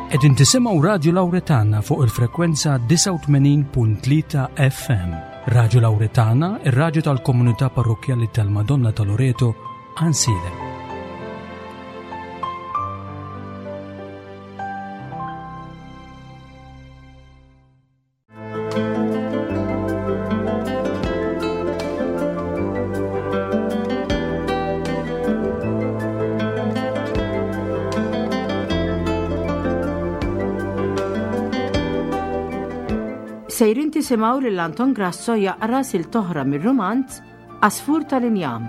Qegħdin tisimgħu Radju Lawretana fuq il-frekwenza 89.3 FM. Radju Lawretana, ir-radju tal-komunità parrokkjali tal-Madonna ta' Loreto, Ansiedem. Sejrin tisimgħu lil Anton Grasso jaqra silta oħra mir-rumanz Għasfur tal-Injam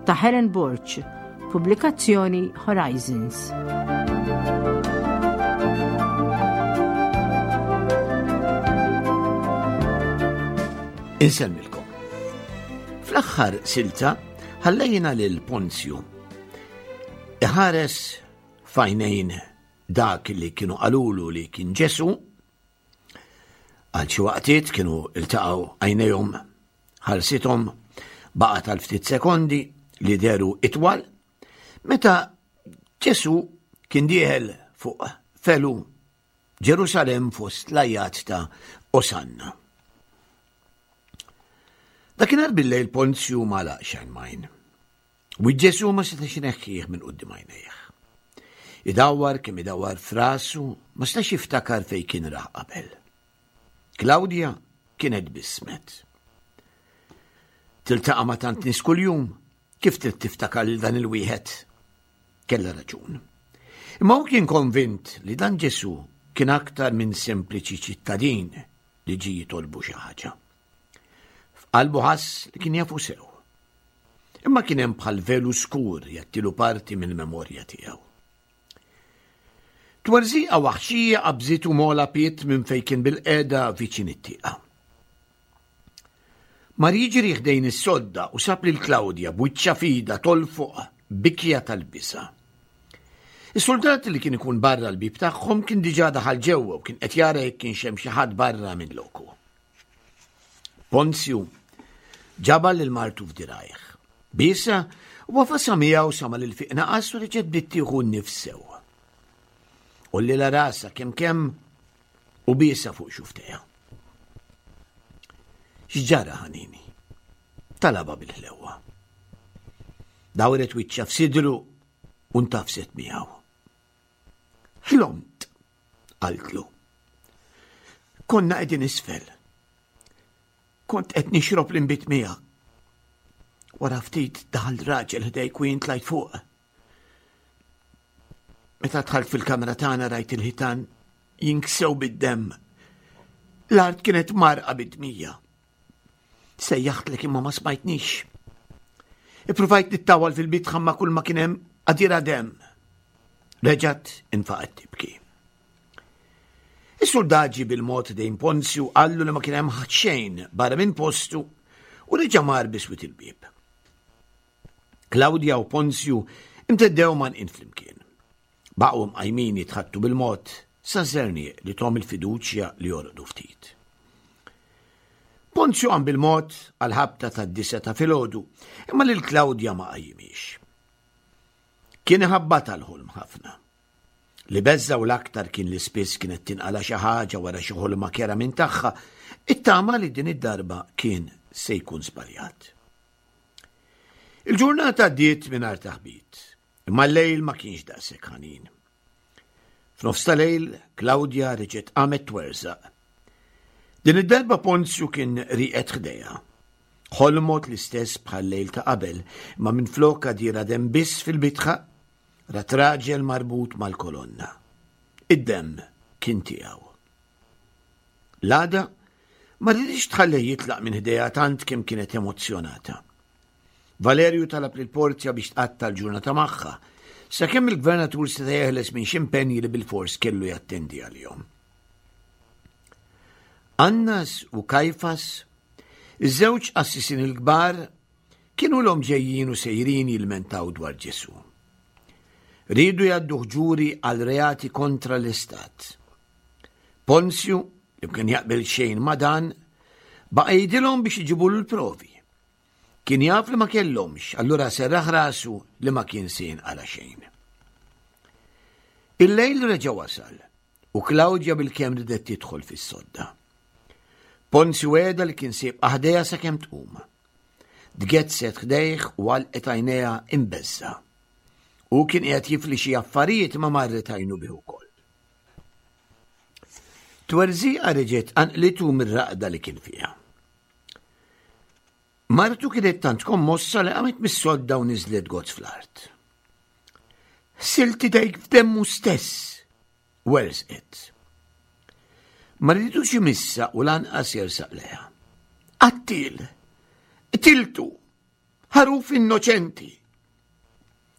ta' Helen Borg, pubblikazzjoni Horizons. Insellmilkom. Fl-aħħar silta ħallejna lil Ponzju iħares f'għajnejn dak li kienu qalulu li kien Ġesu għal xi waqtiet kienu iltaqgħu għajnejhom ħarsithom baqgħet għal ftit sekondi li deru itwal meta Ġesu kien dieħel fuq felu Ġerusalem fost l-ajat ta' Osanna. Dakinhar bil-lejl Ponzju ma laqx majn. U Ġesu ma setax ineħħih minn quddiem għajnejh. Idawwar kemm idawwar frasu ma setax jiftakar fejn kien rah qabel. Klawdja kienet bismet. Tiltaqa' ma' tant nies kuljum, kif trid tiftakar lil dan il-wieħed? Kellha raġun. Imma hu kien konvint li dan Ġesù kien aktar minn sempliċi ċittadin li ġie jitolbu xi ħaġa. F'qalbu ħass li kien jafu sew. Imma kien hemm bħal velu skur jattilu parti mill-memorja tiegħu. Twerżiqa waħxija qabżitu mola piet minn fejn kien bilqiegħda viċin it-tieqa. Mar jiġri ħdejn is-sodda u sab lil Klawdja b'wiċċha f'idha tolfoq bikja tal-biża'. Is-suldat li kien ikun barra l-bieb tagħhom kien diġà daħal ġewwa u kien qed jara jekk kienx hemm xi ħadd barra minn loku. Ponzju ġabar lil martu f'dirajh. Biesha u għafasha miegħu sa ma l-ilfiq naqas u reġgħet bdiet tieħu n-nifs sew. Għollilha rasha kemm kemm u biesha fuq xuftejha. X'ġara ħanini? Talabha bil-ħlewwa. Dawret wiċċha f'sidru u ntafset miegħu. Ħlomt, qaltlu. Konna qegħdin isfel. Kont qed nixrob l-inbid miegħek. Wara ftit daħal raġel ħdejk u jien tlajt fuq. Meta dħalt fil-kamra tagħna rajt il-ħitan jinksew bid-demm. L-art kienet marqa bid-dmija. Sejjaħtlek imma ma smajtnix. Ippruvajt nittawal fil-bitħa ma kull ma kien hemm għadira demm. Reġgħet infaqgħet tibki. Is-suldat ġie bil-mod dejn Ponzju qallu li ma kien hemm ħadd xejn barra minn postu u reġa' mar biswit il-bieb. Klawdja u Ponzju imteddew mgħannqin flimkien. Baqgħu mqajmin jitħaddtu bil-mod sa żerniq li thom il-fiduċja li jorqdu ftit. Ponzju qam bil-mod għall-ħabta tad-disgħa ta' filgħodu, imma lil Klawdja ma qajjimhiex. Kien iħabbatha l-ħolm ħafna. Li beżżgħu l-aktar kien li spiss kienet tinqala' xi ħaġa wara xi ħolma kerha minn tagħha, ittama li din id-darba kien se jkun żbaljat. Il-ġurnata għaddiet mingħajr taħbit, imma l-lejl ma kienx daqshekk ħanin. F'nofs ta' lejl, Klawdja reġgħet qamet twerżaq. Din id-darba Ponzju kien rieqed ħdejha. Ħolmot l-istess bħal lejl ta' qabel, imma minflok għadira demm biss fil-bitħa, Rat raġel marbut mal-kolonna. Id-demm kien tiegħu. L-għada ma riditx tħallih jitlaq minn ħdejha tant kemm kienet emozzjonata. Valerju talab lil Porzja biex tqatta' l-ġurnata magħha, sakemm il-gvernatur seta' jeħles minn xi impenji li bilfors kellu jattendi għalihom. Annas u Kajfas, iż-żewġ qassisin il-kbar, Kienu ilhom ġejjin u sejrin jilmentaw dwar Ġesù. Riedu jgħadduh ġuri għal reati kontra l-istat. Ponzju, li ma kien jaqbel xejn ma' dan, baqa' jgħidilhom biex iġibulu l-provi. Kien jaf li ma kellhomx, allura serraħ rasu li ma kien se jinqala' xejn. Il-lejl reġa' wasal. u Klawdja bilkemm ridet tidħol fis-sodda. Ponzju wegħda li kien se jibqa' ħdejha sakemm tqum. Tgezzet ħdejh u għalqet għajnejha imbeżża'. Hu kien qiegħed jifli xi affarijiet imma marret għajnu bih ukoll. Twerżiqa reġgħet qanqlitu mir-raqda li kien fiha. Martu kienet tant kommossa li qamet mis-sodda u niżlet gozz fl-art. Ħsilt idejk f'demmu stess, werżqet. Ma riditux imissa u lanqas jersaq leha. Qattil! Qtiltu! Ħaruf innoċenti!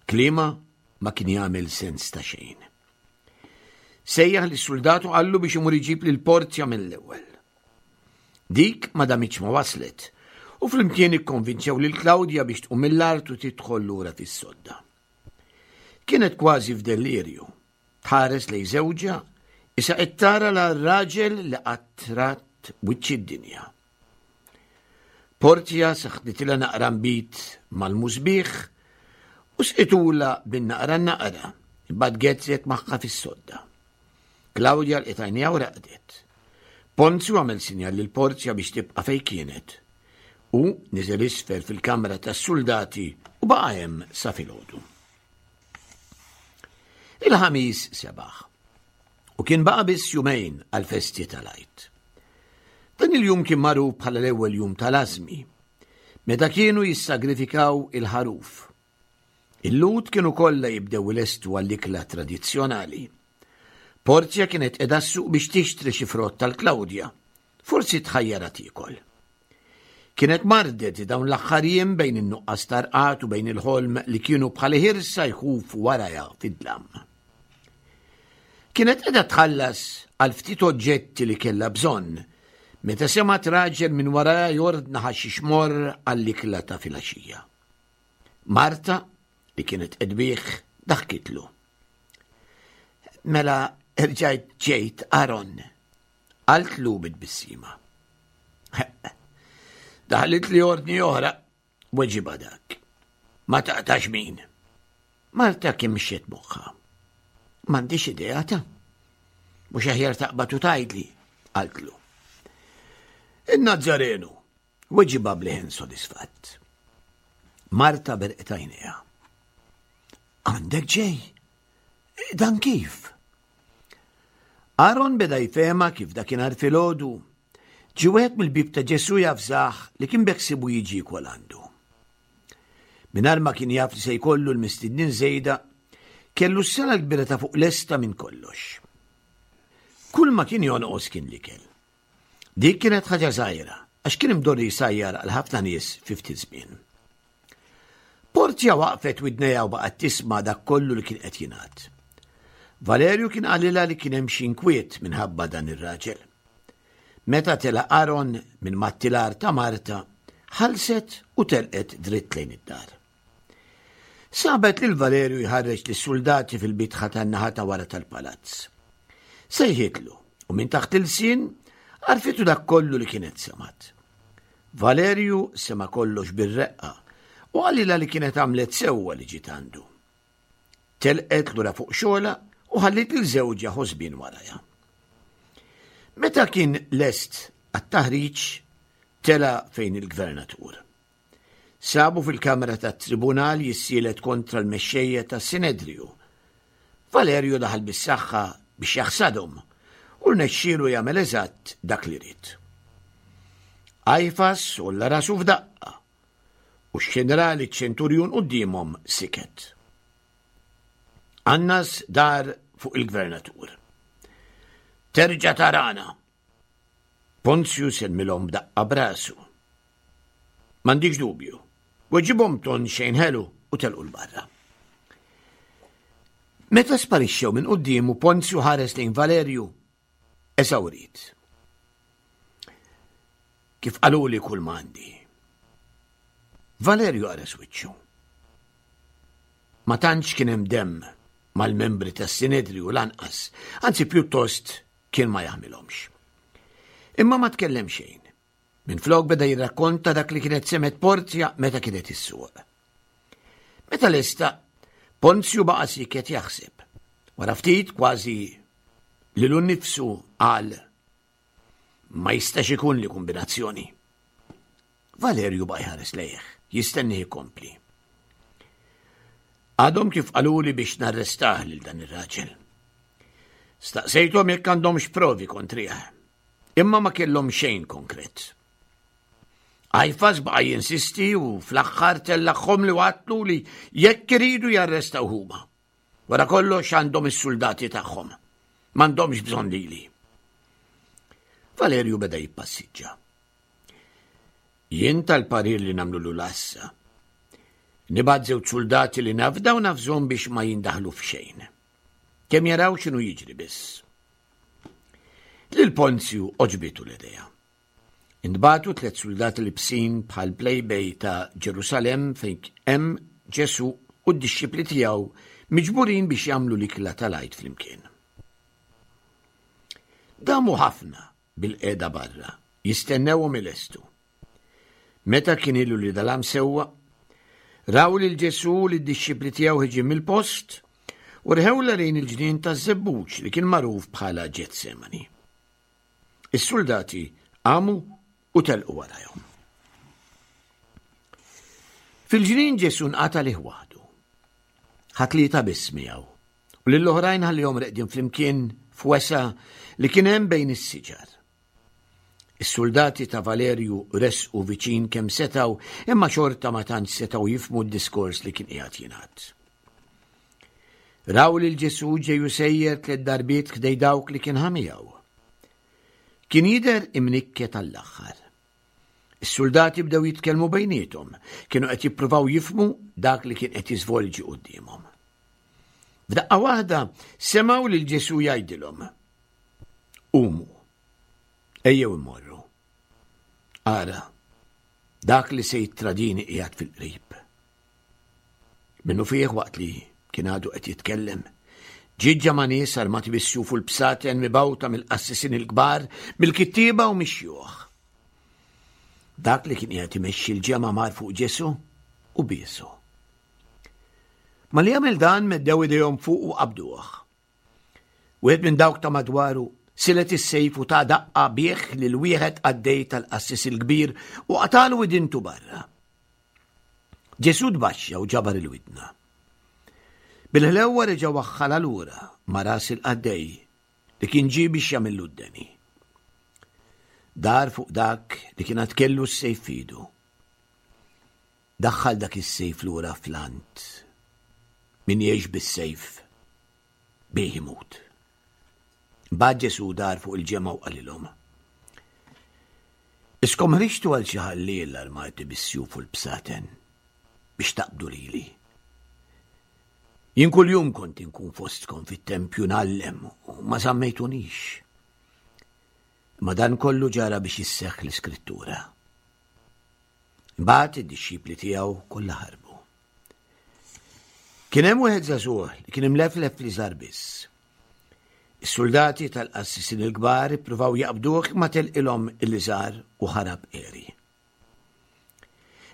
Kliema ma kien jagħmel sens ta' xejn. Sejjaħ lis-suldat u qallu biex imur iġib lil Porzja mill-ewwel. Dik ma damitx ma waslet u flimkien ikkonvinċew lil Klawdja biex tqum mill-art u tidħol lura fis-sodda. Kienet kważi f'dellirju, tħares lejn żewġha, issa qed tara l raġel li qatt rat wiċċ id-dinja. Porzja saħħnitilha naqra nbid mal-musbieħ u sqitulha bin-naqra naqra, imbagħad gezzet magħha fis-sodda. Klawdja lqiet għajnejha u raqdet. Ponzju għamel sinjal lil Porzja biex tibqa' fejn kienet. Hu niżel isfel fil-kamra tas-suldati u baqa' hemm sa filgħodu. Il-Ħamis sebaħ. U kien baqa' biss jumejn għall-festi tal-Għid. Dan il-jum kien magħruf bħala l-ewwel jum tal-Ażmi, meta kienu jissagrifikaw il-ħaruf. Il-Lhud kienu kollha jibdew ilestu għall-ikla tradizzjonali. Porzja kienet qiegħda s-suq biex tixtri xi frott tal-Klawdja, forsi tħajjarha tiekol. Kienet mardet dawn l-aħħar jiem bejn in-nuqqas ta' rqad u bejn il-ħolm li kienu bħal ħirsa jħufu warajha fid-dlam. Kienet qiegħda tħallas għal ftit oġġetti li kellha bżonn meta semgħet raġel minn warajha jordna ħaxix morr għall-ikla ta' filgħaxija. Marta, li kienet qed bih, daħkitlu. Mela rġajt ġejt Aaron, Qaltlu bi tbissima. Daħlitli ordni oħra, weġibha dak. Ma taqtax min. Marta kimxiet moħħha. M'għandix idea ta' mhux aħjar taqbad u tgħidli, qaltlu. In-Nazzarenu, weġibha b'leħen sodisfatt. Marta berqet għajnejha. Għandek ġej? Dan kif? Aaron beda jfehma kif dakinhar filgħodu ġie wieħed mill-bieb ta' Ġesù javżah li kien beħsiebu jiġi jiekol għandu. Mingħajr ma kien jaf li se jkollu l-mistednin żejda, kellu s-sala l-kbira ta' fuq lesta minn kollox. Kull ma kien jonqos kien l-ikel. Dik kienet ħaġa żgħira, għax kien imdorri jsajjar għal ħafna nies fi ftit żmien. Porzja waqfet widnejha u baqgħet tisma' dak kollu li kien qed jingħad. Valerju kien qalilha li kien hemm xi inkwiet minħabba dan ir-raġel. Meta tela' Aaron minn mat-tilar ta' Marta, ħallset u telqet dritt lejn id-dar. Sabet lil Valerju jħarreġ lis-suldati fil-bitħa tan-naħa ta' wara tal-palazz. Sejħitlu u minn taħt ilsien għarfitu dak kollu li kienet semgħet. Valerju sema' kollox bir-reqqa u qalilha li kienet għamlet sewwa li ġiet għandu. Telqet lura fuq xogħolha u ħalliet lil żewġha ħosbien warajha. Meta kien lest għat-taħriġ, tela' fejn il-gvernatur. Sabu fil-kamra tat-tribunal jissielet kontra l-mexxejja tas-Sinedriju. Valerju daħal bis-saħħa biex jaħsadhom u rnexxielu jagħmel eżatt dak li ried. Qajfas għolla rasu f'daqqa u x-ġenerali ċ-ċenturjun quddiemhom siket. Annas dar fuq il-gvernatur. Terġa' tarana! Ponzju sellmilhom b'daqqa b'rasu. M'għandix dubju. Weġibhom ton xejn ħelu u telqu 'l barra. Meta sparixxew minn quddiemu Ponzju ħares lejn Valerju eżawrit. Kif qaluli kull m'għandi. Valerju qares wiċċu. Ma tantx kien hemm demm mal-membri tas-Sinedriju lanqas, anzi pjuttost kien ma jaħmilhomx. Imma ma tkellem xejn. Minflok beda jirrakkonta dak li kienet semgħet Porzja meta kienet is-suq. Meta lesta, Ponzju baqa' siket jaħseb. Wara ftit kważi Lilu nnifsu qal ma jistax ikun li kombinazzjoni. Valerju baqa' jħares lejh, jistennih ikompli. Għadhom kif qaluli biex narrestah lil dan ir-raġel. Staqsejthom jekk għandhomx provi kontrih, imma ma kellhom xejn konkret. Għajfas baqa' jinsisti u fl-aħħar tellagħhom li għatlu li jekk iridu jarrestaw huma. Wara kollox għandhom is-suldati tagħhom. M'għandhomx bżonn lili. Valerju beda jippassiġġa. Jien tal-parir li nagħmlu l-għassa. Nibgħat żewġ suldati li nafda u nafżhom biex ma jindaħlu f'xejn. Kemm jaraw x'inhu jiġri biss. Lil Ponzju oġbitu l-idea. Intbagħtu tlett suldati libsin bħal plejbej ta' Ġerusalemm fejn hemm Ġesù u d-dixxipli tiegħu miġburin biex jagħmlu l-ikla tal-Għid flimkien. Damu ħafna bilqiegħda barra, jistennewhom ilestu. Meta kien ilu li dalam sewwa, raw lil Ġesù u lid-dixxipli tiegħu ħiġin mill-post u rħewla lejn il-ġnien taż-żebbuġ li kien magħruf bħala Ġetsemani. Is-suldati qamu u telqu warajhom. Fil-ġnien Ġesù nqata' lih waħdu. Ħa tlieta biss miegħu u lill-oħrajn ħallihom reqdin flimkien f'wesa li kien hemm bejn is-siġar. Is-suldati ta' Valerju resqu viċin kemm setgħu imma xorta ma tantx setgħu jifhmu d-diskors li kien qiegħed jingħad. Raw lil Ġesù ġej u sejjer tlett darbiet ħdej dawk li kien ħa miegħu. Kien jidher imnikket għall-aħħar. Is-suldati bdew jitkellmu bejniethom, kienu qed jippruvaw jifhmu dak li kien qed jiżvolġi quddiemhom. F'daqqa waħda semgħu lil Ġesù jgħidilhom, Qumu, ejjew immorru. Ara, dak li se jittradini qiegħed fil-qrib. Minnufih waqt li kien għadu qed jitkellem, ġiet ġemgħa nies armati bis-sjuf u l-bsaten mibgħuta mill-qassisin il-kbar, mill-kittieba u mix-xjuħ. Dak li kien qiegħed imexxi l-ġemgħa mar fuq Ġesù u biesu. Malli għamel dan meddew idejhom fuq u qabduh. Wieħed minn dawk ta' madwaru silet is-sejf u ta' daqqa bih lil wieħed qaddej tal-qassis il-kbir u qatalu widintu barra. Ġesù tbaxxa u ġabar il-widna. Bil-ħlewwa reġa' waħħalha lura ma' ras il-qaddej li kien ġie biex jagħmillu d-deni. Dar fuq dak li kien għad kellu s-sejf f'idu. Daħħal dak is-sejf lura fl-ant. Min jgħix bis-sejf, bih imut. Mbagħad Ġesù dar fuq il-ġemgħa u qalilhom, Iskom ħriġtu għal xi ħalliel armati bis-sjuf u l-bsaten biex taqbdu lili. Jien kuljum kont inkun fostkom fit-tempju ngħallem u ma żammejtunix. Imma dan kollu ġara biex isseħħ l-Iskrittura. Imbagħad id-dixxipli tiegħu kollha ħarbu. Kien hemm wieħed żagħżugħ li kien imleflef fl-iżgħar biss. Is-suldati tal-qassisin il-kbar ippruvaw jaqbduh imma telqilhom il-liżar u ħarab għeri.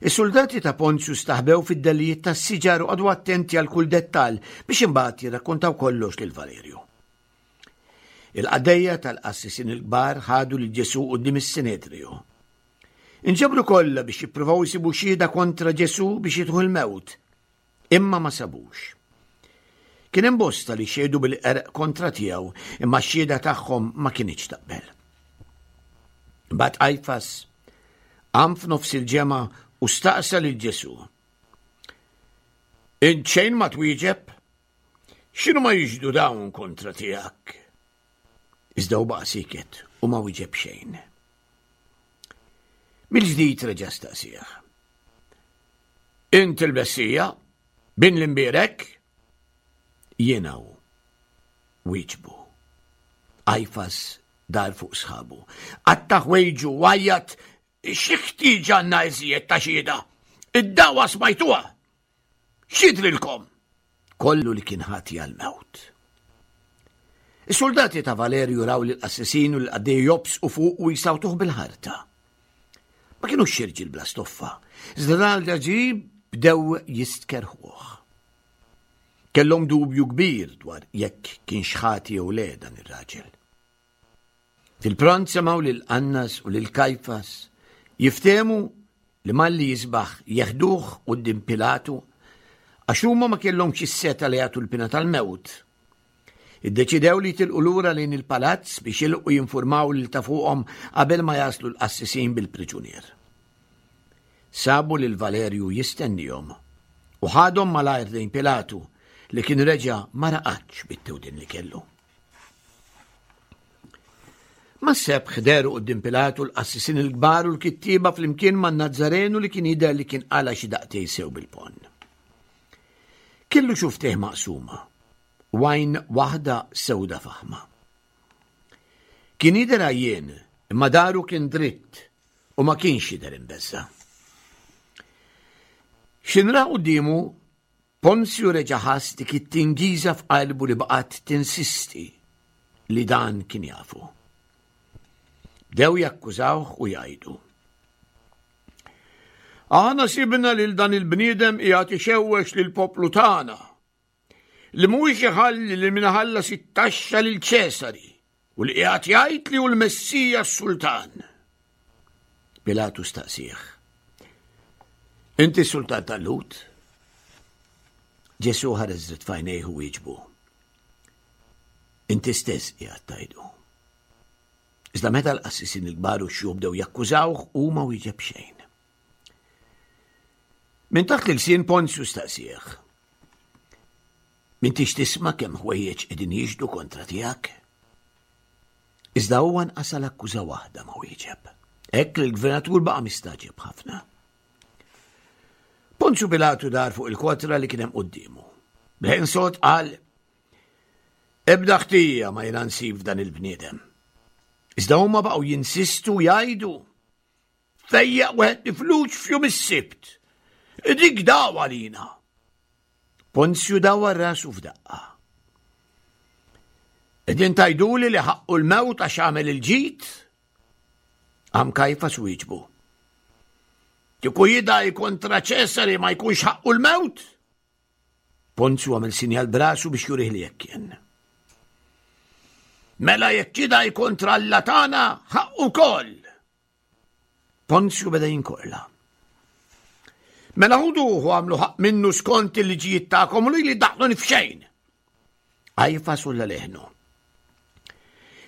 Is-suldati ta' Ponzju staħbew fid-dellijiet tas-siġar u qagħdu attenti għal kull dettall biex imbagħad jirrakkontaw kollox lil Valerju. Il-qaddejja tal-qassisin il-kbar ħadu lil Ġesù quddiem is-Sinedriju. Inġabru kollha biex jippruvaw isibu xhieda kontra Ġesù biex jitħu l-mewt, imma ma sabux. Kien hemm bosta li xehdu bil-qerq kontra tiegħu, imma x-xhieda tagħhom ma kinitx taqbel. Imbagħad Qajfas qam f'nofs il-ġemgħa u staqsa lil Ġesù. Int xejn ma twieġeb? X'inhu ma jixhdu dawn kontra tiegħek? Iżda hu baqa' sieket u ma wieġeb xejn. Mill-ġdid reġa' staqsih. Int il-Messija, bin l-imbierek? Jiena hu. Wieġbu. Qajfas dar fuq sħabu. Qatta' ħwejġu u għajjat, Xi ħtieġa għandna iżjed ta' xhieda? Id-dagħwa smajtuha! X'jidhrilkom? Kollu li kien ħati għall-mewt. Is-suldati ta' Valerju raw lill-qassisin u lill-qaddejja jobsqu fuq u jsawtuh bil-ħarta. Ma kinux xi rġiel bla stoffa, iżda dal-ġaġib bdew jistkerrħuh. Kellhom dubju kbir dwar jekk kienx ħati jew le dan ir-raġel. Fil-pront semgħu lil Annas u lil Kajfas jiftehmu li malli jisbaħ jeħduh quddiem Pilatu għax huma ma kellhomx is-setgħa li jagħtu l-pina tal-mewt. Iddeċidew li jitilqu lura lejn il-palazz biex jilqu jinfurmaw lil ta' fuqhom qabel ma jaslu l-qassisin bil-priġunier. Sabu lil Valerju jistennihom u ħadhom malajr lejn Pilatu li kien reġa' ma raqadx bit-tewdin li kellu. Mas-sebħ dehru quddiem Pilatu l-qassisin il-kbar u l-kittieba flimkien man-Nazzarenu li kien jidher li kien qala' xi daqtej sew bil-ponn. Kellu xuftejh maqsuma u għajn waħda sewda faħma. Kien jidher għajjien imma daru kien dritt u ma kienx jidher imbeżża'. X'inra quddiemu Ponzju reġa' ħass dik it-tingiża f'qalbu li baqgħet tinsisti li dan kien jafu. Bdew jakkużawh u jgħidu. Aħna sibna lil dan il-bniedem qiegħed ixewwex lill-poplu tagħna li mhuwiex iħalli li min iħallas it-taxxa lil Ċesari u li qiegħed jgħid li hu l-Messija s-Sultan. Pilatu staqsih. Inti s-Sultan tal-Lhud? Ġesù ħares dritt f'għajnejh u wieġbu. Inti stess qiegħed tgħidu. Iżda meta l-qassisin il-kbar u x-xjuħ bdew jakkużawh hu ma wieġeb xejn. Minn taħt l-ilsien Ponzju staqsih. M'intix tisma' kemm ħwejjeġ qegħdin jixhdu kontra tiegħek? Iżda huwa nqas għal akkuża waħda ma wieġeb. Hekk li l-gvernatur baqa' mistagħġeb ħafna. Ponzju Pilatu dar fuq il-kotra li kien hemm quddiemu. B'leħen sod qal, Ebda ħtija ma jiena nsib f'dan il-bniedem. Iżda huma baqgħu jinsistu jgħidu, Fejjaq wieħed mifluġ f'jum is-Sibt. Dik dagħwa lina. Ponzju dawar rasu f'daqqa. Qegħdin tgħiduli li ħaqqu l-mewt għax għamel il-ġid? Qam Kajfas wieġbu. Kieku jidgħi kontra Ċesari ma jkunx ħaqqu l-mewt? Ponzju għamel sinjal b'rasu biex jurih li hekk kien. Mela jekk jidgħi kontra Alla tagħna, ħaqqu wkoll. Ponzju beda jinkorla. Mela ħuduh u għamlu ħaqq minnu skont il-liġijiet tagħkom u lili daħluni f'xejn. Għajfa sulla leħnu.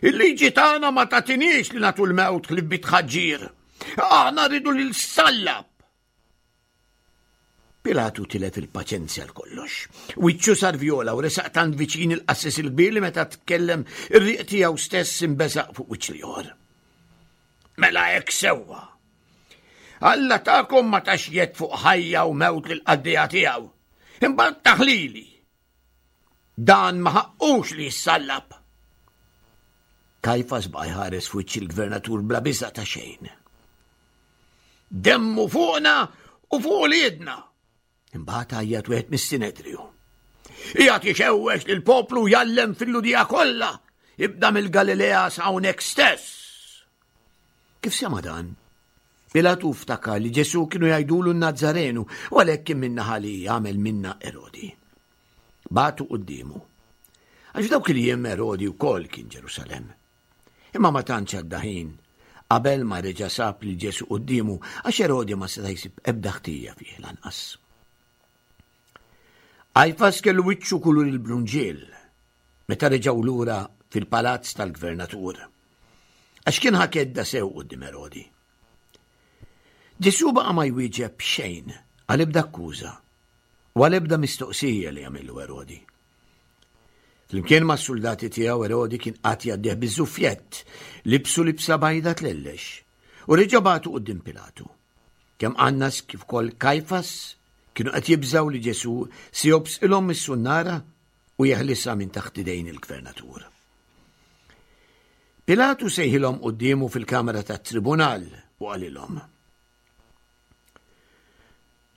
Il-liġi tagħna ma tagħtiniex li nagħtu l-mewt ħlief bi tħaġġir. Aħna rridu lil sallab. Pilatu tilef il-paċenzja għal kollox. Wiċċu sar vjola u resaq tant viċin il-qassis il-kbir li meta tkellem ir-riq tiegħu stess imbeżaq fuq wiċċ l-ieħor. Mela hekk sewwa. Alla tagħkom ma tax jed fuq ħajja u mewt lil qaddejja tiegħu. Imbagħad taħlili. Dan ma ħaqqux li jissallab. Kajfas baqa' jħares f'wiċċ il-gvernatur bla biża' ta' xejn. Demmu fuqna u fuq uliedna. Imbagħad għajjat wieħed mis-Sinedriju. Qiegħed jixewwex lill-poplu jgħallem fil-Lhudija kollha, ibda mill-Galilea sa hawnhekk stess. Kif sema' dan? Pilatu ftakar li Ġesù kienu jgħidulu n-Nazzarenu u għalhekk kien min-naħa li għamel minnha Erodi. Bagħtu quddiemu. Għax f'dawk il-jiem Erodi wkoll kien Ġerusalemm. Imma ma tantx għadda ħin qabel ma reġa' sab lil Ġesù quddiemu għax Erodi ma seta' jsib ebda ħtija fih lanqas. Qajfas kellu wiċċu kulur il-brunġiel meta reġgħu lura fil-palazz tal-gvernatur. Għax kien ħa kedda sew quddiem Erodi. Ġesù baqa' ma jwieġeb xejn għal ebda akkuża u għal ebda mistoqsija li għamillu Erodi. Flimkien mas-suldati tiegħu Erodi kien qagħad jgħaddih biż-żuffjett, libsu libsa bajda tlellex, u reġa' bagħtu quddiem Pilatu. Kemm Annas kif ukoll Kajfas kienu qed jibżgħu li Ġesù se jobsqilhom mis-sunnara u jeħlisha minn taħt idejn il-gvernatur. Pilatu sejħilhom quddiemu fil-kamra tat-tribunal u qalilhom.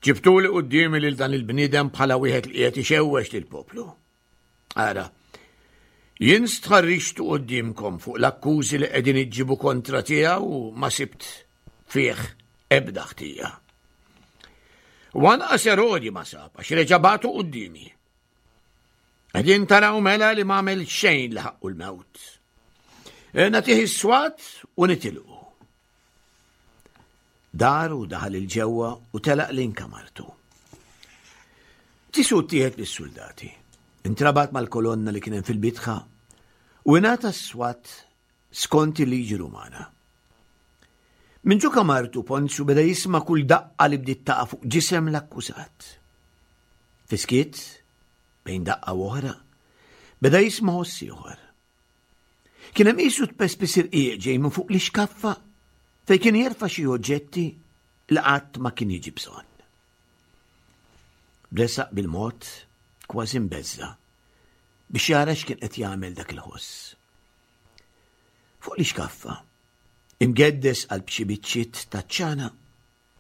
Ġibtuli quddiemi lil dan il-bniedem bħala wieħed li qiegħed ixewwex lill-poplu. Ara, jien stħarriġtu quddiemkom fuq l-akkużi li qegħdin iġġibu kontra tiegħu u ma sibt fih ebda ħtija. U anqas Erodi ma sab għax reġa' bagħtu quddiemi. Qegħdin taraw mela li m'għamel xejn li ħaqqu l-mewt. E, nagħtih is-swat u nitilqu. Dar u daħal il-ġewwa u telaq lejn kamartu. Ġesù ttieħed lis-suldati, intrabat mal-kolonna li kien hemm fil-bitħa u ingħata s-swat skont il-liġi Rumana. Minn ġo kamartu Ponzju beda jisma' kull daqqa li bdiet taqa' fuq ġisem l-akkużat. Fiskiet, bejn daqqa u oħra, beda jisma' ħoss ieħor. Kien hemm qisu tpespis irqiq ġej minn fuq l-ixkaffa fejn kien jerfa' xi oġġetti li qatt ma kien jiġi bżonn. Resaq bil-mod kważi mbeżża' biex jara x'kien qed jagħmel dak il-ħoss. Fuq l-ixkaffa, imgeddes qalb xi biċċiet taċ-ċana,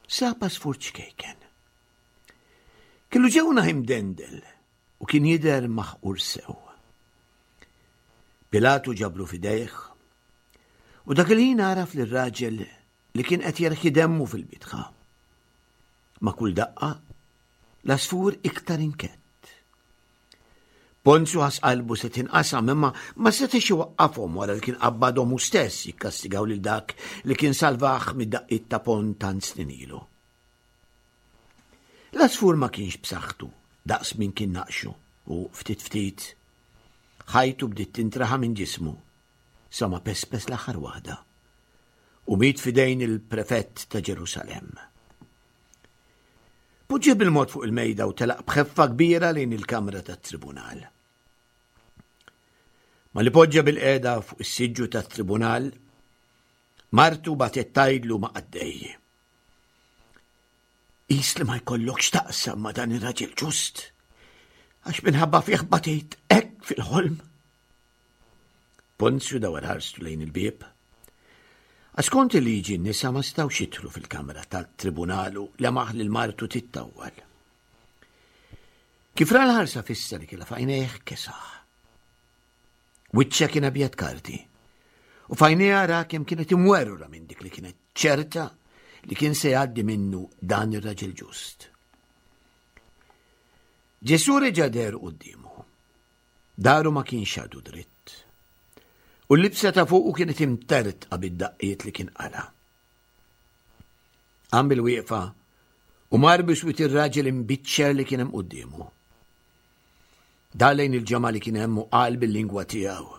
sab għasfur ċkejken. Kellu ġewnaħ imdendel u kien jidher maħqur sew. Pilatu ġabru f'idejh u dak il-ħin għaraf lir-raġel li kien qed jerħi demmu fil-bitħa. Ma' kull daqqa, l-għasfur iktar inkett. Ponzju ħass qalbu se tinqasam imma ma setax iwaqqafhom wara li kien qabbadhom hu stess jikkastigaw lil dak li kien salvah mid-daqqiet ta' pon tant snin ilu. L-għasfur ma kienx b'saħħtu daqs min kien naqxu u ftit ftit ħajtu bdiet tintraħa minn ġismu sa ma pespes l-aħħar waħda u miet f'idejn il-prefett ta' Ġerusalemm. Poġġieh bil-mod fuq il-mejda u telaq b'ħeffa kbira lejn il-kamra tat-tribunal. Ma li poġġa bil-qeda fuq is-siġġu tat-tribunal, martu bagħtet tgħidlu ma' qaddej. Qis li ma jkollokx taqsam ma' dan ir-raġel ġust, għax minħabba fih batejt hekk fil-ħolm. Ponzju dawar ħarstu lejn il-bieb. Għax skont il-liġi n-nisa ma setgħux jidħlu fil-kamra tat-tribunalu lemaħ lil martu tittawwal. Kif ra l-ħarsa fissa li kellha f'għajnejh kesaħ. Wiċċha kien abjad karti. U f'għajnejha ra kemm kienet imwerwra minn dik li kienet ċerta li kien se jgħaddi minnu dan ir-raġel ġust. Ġesù reġa' deher quddiemu. Daru ma kienx għadu dritt. U l-libsa ta' fuqu kienet imtertqa bid-daqqiet li kien qala'. Qam bil-wieqfa u mar biswit ir-raġel imbiċċer li kien hemm quddiemu. Dar lejn il-ġemgħa li kien hemm u qal bil-lingwa tiegħu.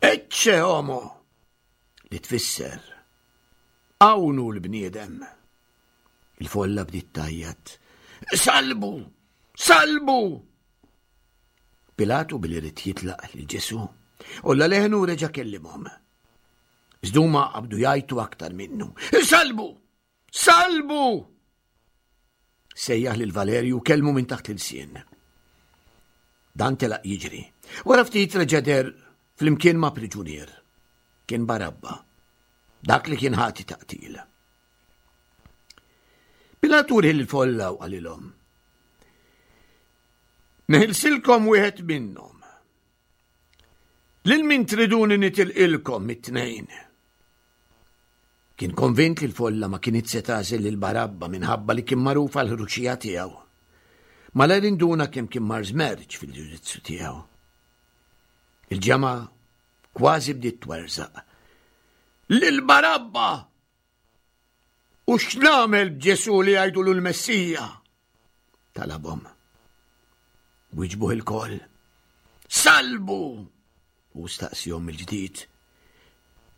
Ecce homo! Li tfisser, Hawn hu l-bniedem! Il-folla bdiet tgħajjat, Salbu! Salbu! Pilatu billi ried jitlaq lil Ġesù, għolla leħnu u reġa' kellimhom. Iżda huma qabdu jgħajtu aktar minnu. Salbu! Salbu! Sejjaħ lil Valerju u kellmu minn taħt l-ilsien. Dan telaq jiġri. Wara ftit reġa' deher flimkien ma' priġunier. Kien Barabba, dak li kien ħati ta' qtil. Pilatu riħ il-folla u qalilhom. Neħilsilkom wieħed minnhom. Lil min triduni nitilqilkom mit-tnejn. Kien konvint li l-folla ma kinitx se tagħżel lil Barabba minħabba li kien magħruf għall-ħruxija tiegħu. Malajr induna kemm kien mar żmerġ fil-ġudizzju tiegħu. Il-ġemgħa kważi bdiet twerżaq. Lil Barabba! U x'nagħmel b'Ġesù li jgħidulu l-Messija? Talabhom. Wieġbuh ilkoll. Salbu! U staqsihom mill-ġdid.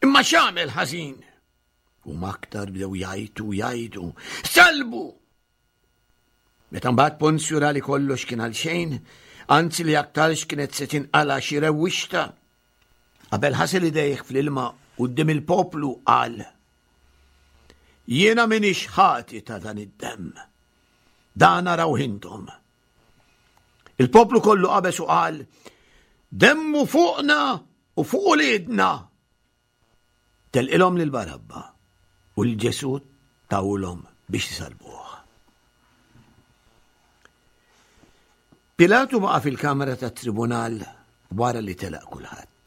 Imma x'għamel ħażin? Huma aktar bdew jgħajtu jgħidu. Salbu! Meta mbagħad Ponzju ra li kollox kien għal xejn, anzi li aktarx kienet se tinqala xi rewwixta, qabel ħasel idejh fl-ilma quddiem il-poplu qal: Jiena m'iniex ħati ta' dan id-demm. Dan arawh intom. Il-poplu kollu qabeż u qal: Demmu fuqna u fuq uliedna. Telqilhom lil Barabba u lil Ġesù tawlhom biex isalbuh. Pilatu baqa' fil-kamra tat-tribunal wara li telaq kulħadd.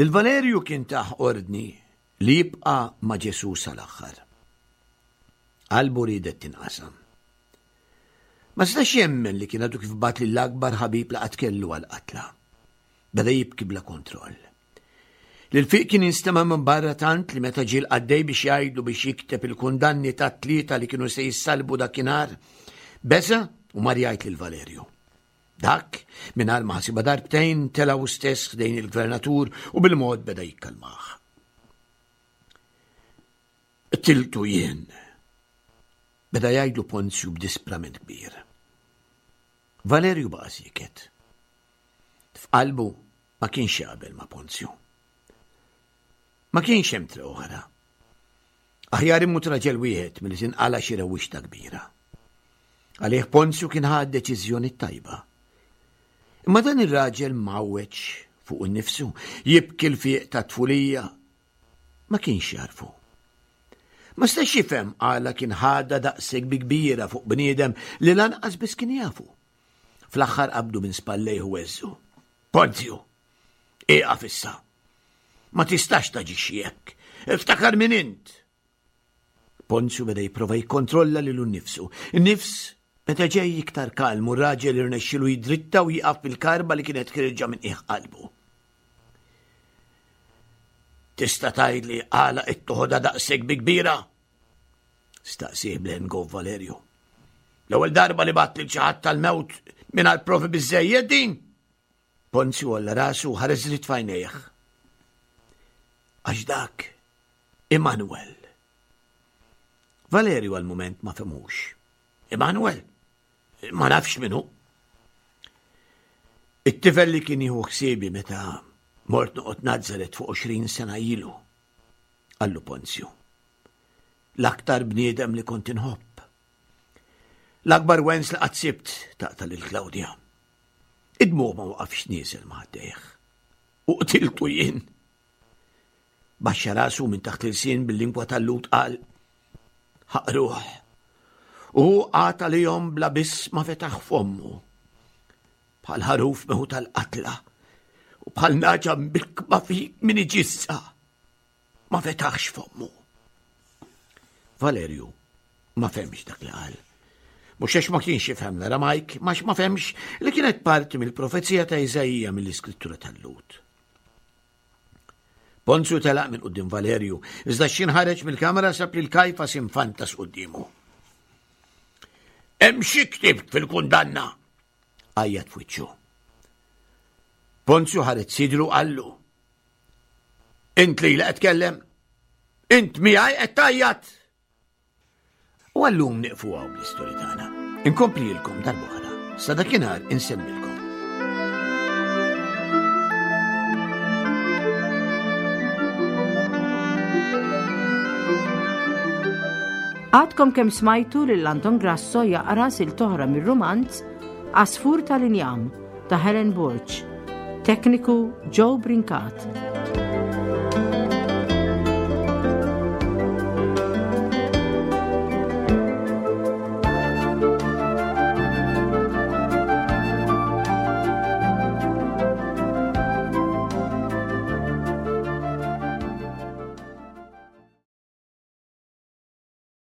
Lil Valerju kien tah ordni li jibqa' ma' Ġesù sal-aħħar. Qalbu riedet tinqasam. Ma setax jemmen li kien għadu kif bagħat lill-akbar ħabib li qatt kellu għall-qatla. Beda jibki bla kontroll. L-ilfiq kien jinstema' minn barra tant li meta ġie l-qaddej biex jgħidlu biex jikteb il-kundanni tat-tlieta li kienu se jissalbu dakinhar, beża' u mar jgħid lil Valerju. Dak, mingħajr ma ħasibha darbtejn, tela' hu stess ħdejn il-gvernatur u bil-mod beda jikkalmah. Qtiltu jien, beda jgħidlu Ponzju b'disprament kbir. Valerju baqa' sieket. F'qalbu ma kienx jaqbel ma' Ponzju. Ma kienx hemm triq oħra. Aħjar imut raġel wieħed milli tinqala' xi rewwixta kbira. Għalih Ponzju kien ħa d-deċiżjoni t-tajba. Imma dan ir-raġel mgħawweġ fuq innifsu, jibki l-fieq tat-tfulija, ma kienx jagħrfu. Ma setax jifhem għala kien ħadha daqshekk bi kbira fuq bniedem li lanqas biss kien jafu. Fl-aħħar qabdu minn spallejh u għeżżu. Ponzju, ieqaf issa. Ma tistax taġixxi hekk. Iftakar min int. Ponzju beda jipprova jikkontrolla lilu nnifsu. In-nifs meta ġej iktar kalm u r-raġel irnexxilu jidritta u jieqaf fil-karba li kienet ħierġa minn qiegħ qalbu. Tista' tgħidli għala qed toħodha daqshekk bi kbira? Staqsih b'leħen gov Valerju. L-ewwel darba li bat lil xi ħadd tal-mewt mingħajr provi biżejjed din? Ponzju għolla rasu u ħares dritt f'għajnejh. Għax dak Immanuel. Valerju għal mument ma fehmux. Immanuel? Ma nafx min hu. It-tifel li kien jieħu ħsiebi meta mort noqgħod Nazaret fuq 20 sena ilu, qallu Ponzju. L-aktar bniedem li kont inħobb. L-akbar wens li qatt sibt taqta' lil Klawdja. Id-dmugħ ma waqafx nieżel ma' ħdejh. U qtiltu jien. Baxxa rasu minn taħt il-sien bil-lingwa tal-Lhud qal, Ħaqruh. U hu qagħad għalihom bla biss ma fetaħ fommu. Bħal ħaruf meħu tal-qatla u bħal naġa mbikba fi min iġissa. Ma fetaħx fommu. Valerju ma femx dak li qal. Mhux għax ma kienx jifhem l-Aramajk, ma ma femx li kienet parti mill-profezija ta' Iżaija mill-iskrittura tal-Lut. Ponzju telaq minn quddiem Valerju, iżda x'xin ħareġ mill-kamra sab lil Kajfas infantas quddiemu. Hemm xi ktibt fil-kundanna! Għajjat f'wiċċu. Ponzju ħareġ sidru qallu. Int li qed tkellem? Int miegħi qed tgħajjat? U għallum nieqfu hawn bl-istorja tagħna. Inkomplilkom darb'oħra. Sa dakinhar insemmilkom. Għadkom kemm smajtu lil Anton Grasso jaqra sil toħra mir-rumanz Għasfur tal-Injam ta' Helen Borg. Tekniku Joe Brincat.